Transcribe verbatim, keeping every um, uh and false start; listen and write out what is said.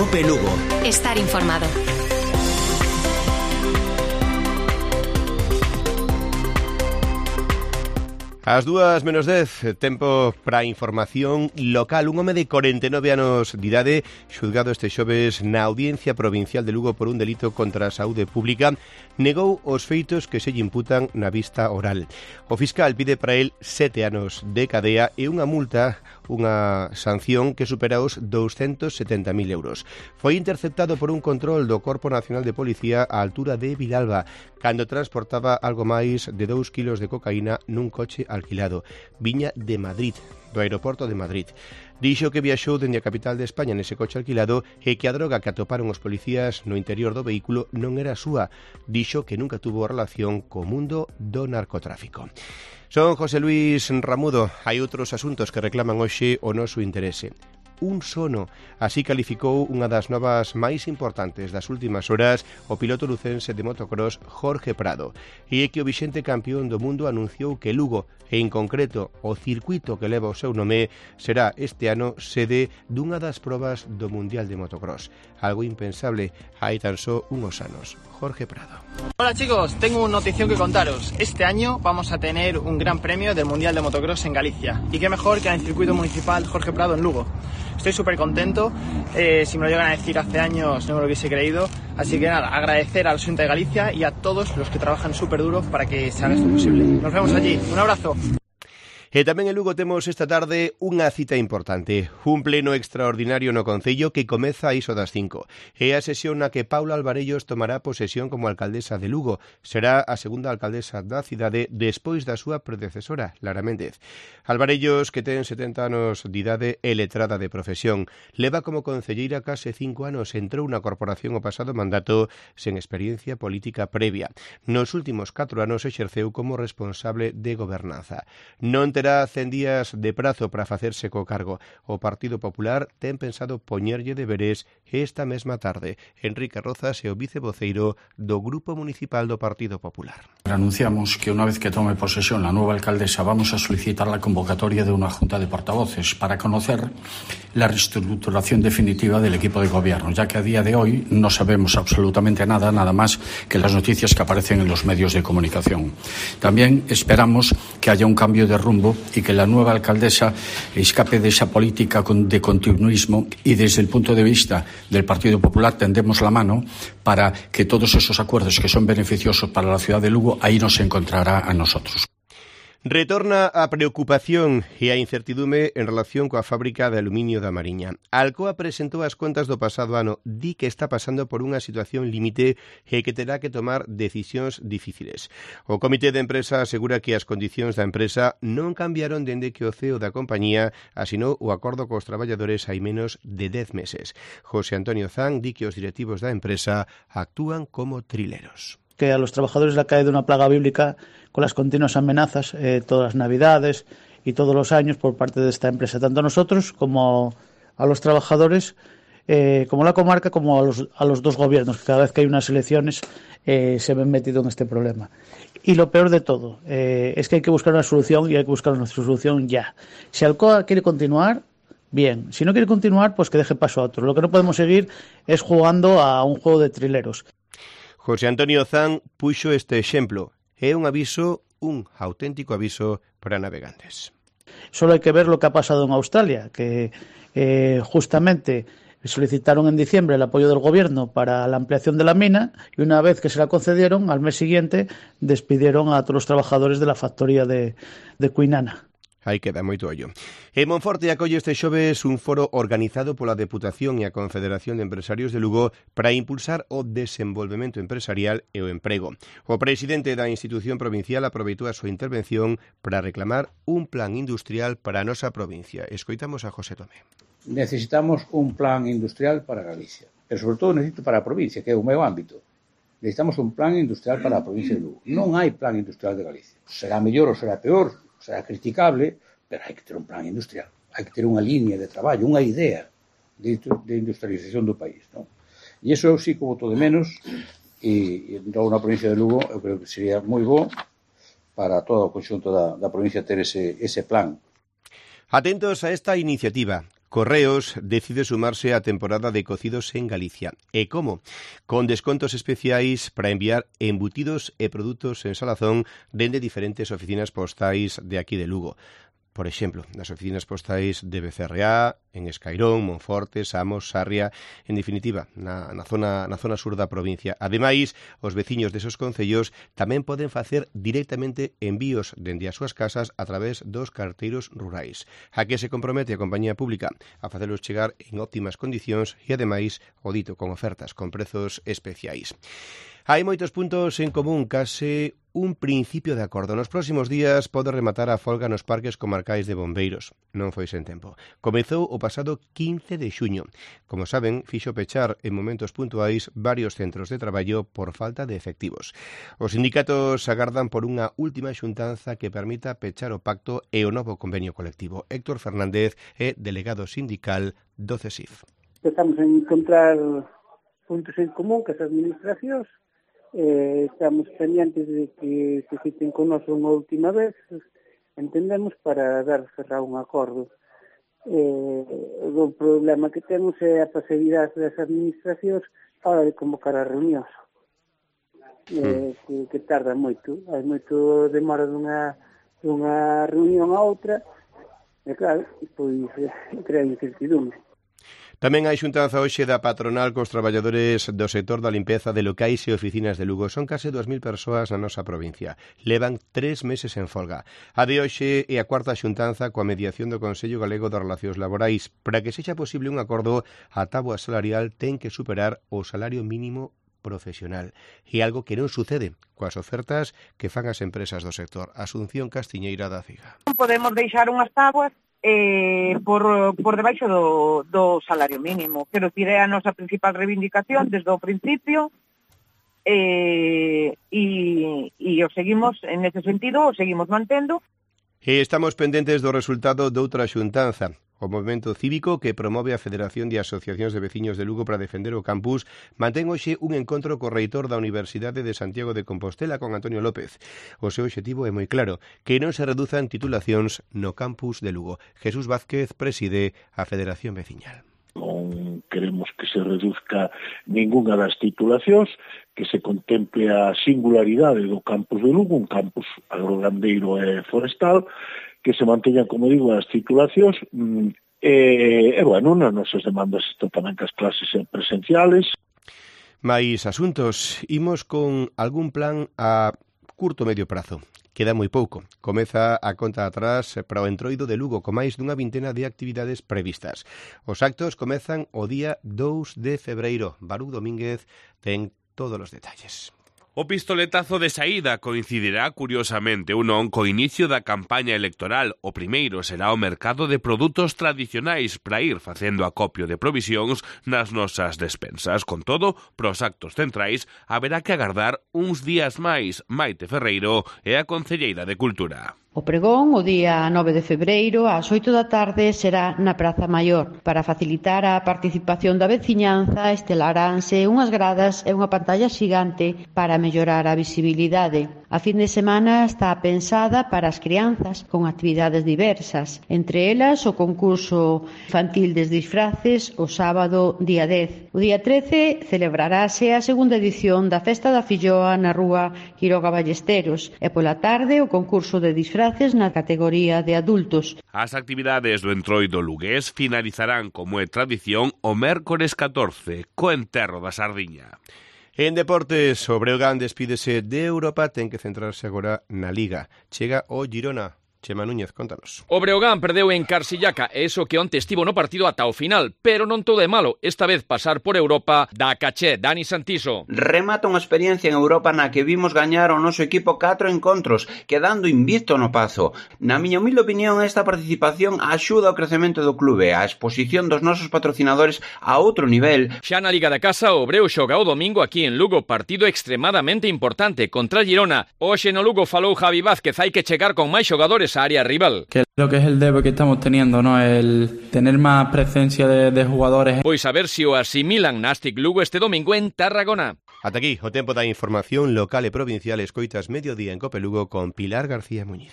Cope Lugo. Estar informado. As dúas menos dez, tempo para a información local. Un home de corenta e nove anos de idade, xulgado este xoves na Audiencia Provincial de Lugo por un delito contra a saúde pública, negou os feitos que se lle imputan na vista oral. O fiscal pide para el sete anos de cadea e unha multa, unha sanción que supera os douscentos setenta mil euros. Foi interceptado por un control do Corpo Nacional de Policía á altura de Vilalba, cando transportaba algo máis de dous kilos de cocaína nun coche alquilado. Viña de Madrid, do aeroporto de Madrid. Dixo que viaxou dende a capital de España nese coche alquilado e que a droga que atoparon os policías no interior do vehículo non era súa. Dixo que nunca tuvo relación co mundo do narcotráfico. Son José Luis Ramudo. Hai outros asuntos que reclaman hoxe o noso interese. Un sono, así calificou unha das novas máis importantes das últimas horas o piloto lucense de motocross Jorge Prado, e é que o vixente campeón do mundo anunciou que Lugo, e en concreto o circuito que leva o seu nome, será este ano sede dunha das probas do Mundial de Motocross, algo impensable hai tan só unos anos. Jorge Prado. Hola chicos, tengo una notición que contaros. Este año vamos a tener un gran premio del Mundial de Motocross en Galicia, y qué mejor que en el circuito municipal Jorge Prado en Lugo. Estoy súper contento, eh, si me lo llegan a decir hace años no me lo hubiese creído, así que nada, agradecer al Xunta de Galicia y a todos los que trabajan súper duro para que se haga esto posible. Nos vemos allí, un abrazo. E tamén en Lugo temos esta tarde unha cita importante, un pleno extraordinario no Concello que comeza a iso das cinco. É a sesión na que Paula Alvarellos tomará posesión como alcaldesa de Lugo. Será a segunda alcaldesa da cidade despois da súa predecesora, Lara Méndez. Alvarellos, que ten setenta anos de idade e letrada de profesión, leva como concelleira case cinco anos, entrou na corporación o pasado mandato sen experiencia política previa. Nos últimos catro anos exerceu como responsable de gobernanza. Non terá cen días de prazo para facerse co cargo. O Partido Popular ten pensado poñerlle deberes esta mesma tarde. Enrique Rozas é o vicevoceiro do Grupo Municipal do Partido Popular. Anunciamos que una vez que tome posesión la nueva alcaldesa vamos a solicitar la convocatoria de una junta de portavoces para conocer la reestructuración definitiva del equipo de gobierno, ya que a día de hoy no sabemos absolutamente nada, nada más que las noticias que aparecen en los medios de comunicación. También esperamos que haya un cambio de rumbo y que la nueva alcaldesa escape de esa política de continuismo, y desde el punto de vista del Partido Popular tendemos la mano para que todos esos acuerdos que son beneficiosos para la ciudad de Lugo, ahí nos encontrará a nosotros. Retorna a preocupación e a incertidume en relación coa fábrica de aluminio da Mariña. A Alcoa presentou as contas do pasado ano, di que está pasando por unha situación límite e que terá que tomar decisións difíciles. O Comité de Empresa asegura que as condicións da empresa non cambiaron dende que o C E O da compañía asinou o acordo cos traballadores hai menos de dez meses. José Antonio Zan di que os directivos da empresa actúan como trileros. Que a los trabajadores le ha caído una plaga bíblica con las continuas amenazas eh, todas las navidades y todos los años por parte de esta empresa, tanto a nosotros como a los trabajadores, eh, como a la comarca, como a los, a los dos gobiernos, que cada vez que hay unas elecciones eh, se ven metidos en este problema. Y lo peor de todo eh, es que hay que buscar una solución, y hay que buscar una solución ya. Si Alcoa quiere continuar, bien. Si no quiere continuar, pues que deje paso a otro. Lo que no podemos seguir es jugando a un juego de trileros. José Antonio Zan puxo este exemplo. É un aviso, un auténtico aviso para navegantes. Solo hay que ver lo que ha pasado en Australia, que eh, justamente solicitaron en diciembre el apoyo del gobierno para la ampliación de la mina, y una vez que se la concedieron, al mes siguiente despidieron a todos los trabajadores de la factoría de, de Kwinana. Aí queda moito ollo. En Monforte acolle este xoves un foro organizado pola Deputación e a Confederación de Empresarios de Lugo para impulsar o desenvolvemento empresarial e o emprego. O presidente da institución provincial aproveitou a súa intervención para reclamar un plan industrial para a nosa provincia. Escoitamos a José Tomé. Necesitamos un plan industrial para Galicia, pero sobre todo necesito para a provincia, que é o meu ámbito. Necesitamos un plan industrial para a provincia de Lugo. Non hai plan industrial de Galicia. Será mellor ou será peor, será criticable, pero hai que ter un plan industrial, hai que ter unha línea de traballo, unha idea de, de industrialización do país, non? E iso eu sí que voto de menos, e, e entón na provincia de Lugo eu creo que sería moi bo para todo o conxunto da, da provincia ter ese, ese plan. Atentos a esta iniciativa. Correos decide sumarse á temporada de cocidos en Galicia. E como? Con descontos especiais para enviar embutidos e produtos en salazón dende diferentes oficinas postais de aquí de Lugo. Por exemplo, nas oficinas postais de B C R A, en Escairón, Monforte, Samos, Sarria, en definitiva, na, na, zona, na zona sur da provincia. Ademais, os veciños desos concellos tamén poden facer directamente envíos dende as súas casas a través dos carteiros rurais. A que se compromete a compañía pública a facelos chegar en óptimas condicións e, ademais, o dito con ofertas, con prezos especiais. Hai moitos puntos en común, case un principio de acordo. Nos próximos días pode rematar a folga nos parques comarcais de bombeiros. Non foi sen tempo. Comezou o pasado quince de xuño. Como saben, fixo pechar en momentos puntuais varios centros de traballo por falta de efectivos. Os sindicatos agardan por unha última xuntanza que permita pechar o pacto e o novo convenio colectivo. Héctor Fernández é delegado sindical do C E S I F. Estamos a encontrar puntos en común que as administracións. Eh, estamos pendientes de que se citen con nós unha última vez, entendemos, para dar cerrar un acordo. Eh, o problema que temos é a pasividade das administracións a hora de convocar as reunións, eh, que, que tarda moito, hai moito demora dunha, dunha reunión a outra, e claro, pois crea incertidumbre. Tamén hai xuntanza hoxe da patronal cos traballadores do sector da limpeza de locais e oficinas de Lugo. Son case dúas mil persoas na nosa provincia. Levan tres meses en folga. A de hoxe é a cuarta xuntanza coa mediación do Consello Galego de Relacións Laborais. Para que sexa posible un acordo, a táboa salarial ten que superar o salario mínimo profesional. E algo que non sucede coas ofertas que fan as empresas do sector. Asunción Castiñeira da Ciga. Non podemos deixar unhas táboas Eh, por, por debaixo do, do salario mínimo. Quero dicir, é a nosa principal reivindicación desde o principio eh, e, e o seguimos, en ese sentido, o seguimos mantendo. E estamos pendentes do resultado doutra xuntanza. O movemento cívico que promove a Federación de Asociacións de Veciños de Lugo para defender o campus mantén hoxe un encontro co reitor da Universidade de Santiago de Compostela con Antonio López. O seu obxectivo é moi claro, que non se reduzan titulacións no campus de Lugo. Jesús Vázquez preside a Federación Veciñal. Non queremos que se reduzca ningunha das titulacións, que se contemple a singularidade do campus de Lugo, un campus agrogandeiro e forestal, que se manteñan, como digo, as titulacións, e, e bueno, nas nosas demandas están tamén que as clases presenciales. Mais asuntos, imos con algún plan a curto medio prazo. Queda moi pouco. Comeza a conta atrás para o entroido de Lugo con máis dunha vintena de actividades previstas. Os actos comezan o día dous de febreiro. Barú Domínguez ten todos os detalles. O pistoletazo de saída coincidirá, curiosamente, ou non, co inicio da campaña electoral. O primeiro será o mercado de produtos tradicionais para ir facendo acopio de provisións nas nosas despensas. Con todo, pros actos centrais haberá que agardar uns días máis. Maite Ferreiro é a concelleira de Cultura. O pregón, o día nove de febreiro, ás oito da tarde, será na Praza Maior. Para facilitar a participación da veciñanza, estelaránse unhas gradas e unha pantalla xigante para mellorar a visibilidade. A fin de semana está pensada para as crianzas, con actividades diversas. Entre elas, o concurso infantil de disfraces o sábado día dez. O día trece celebrarase a segunda edición da Festa da Filloa na rúa Quiroga Ballesteros e pola tarde o concurso de disfraces na categoría de adultos. As actividades do entroido lugués finalizarán, como é tradición, o mércores catorce, co enterro da sardiña. En deportes, o Breogán despídese de Europa, ten que centrarse agora na Liga. Chega o Girona. Chema Núñez, contanos. O Breogán perdeu en Carsillaca, e iso que onte estivo no partido ata o final, pero non todo é malo. Esta vez pasar por Europa dá caché. Dani Santiso. Remata unha experiencia en Europa na que vimos gañar o noso equipo catro encontros, quedando invicto no Pazo. Na miña humilde opinión, esta participación axuda ao crecemento do clube, a exposición dos nosos patrocinadores a outro nivel. Xa na Liga da Casa, o Breo xoga o domingo aquí en Lugo, partido extremadamente importante contra Girona. Hoxe no Lugo falou Javi Vázquez, hai que chegar con máis xogadores a área rival. Que lo que es el debe que estamos teniendo, ¿no? El tener más presencia de, de jugadores. Pois a ver se o asimilan Nastic Lugo este domingo en Tarragona. Ata aquí o tempo da información local e provincial. Escoitas Mediodía en Cope Lugo con Pilar García Muñiz.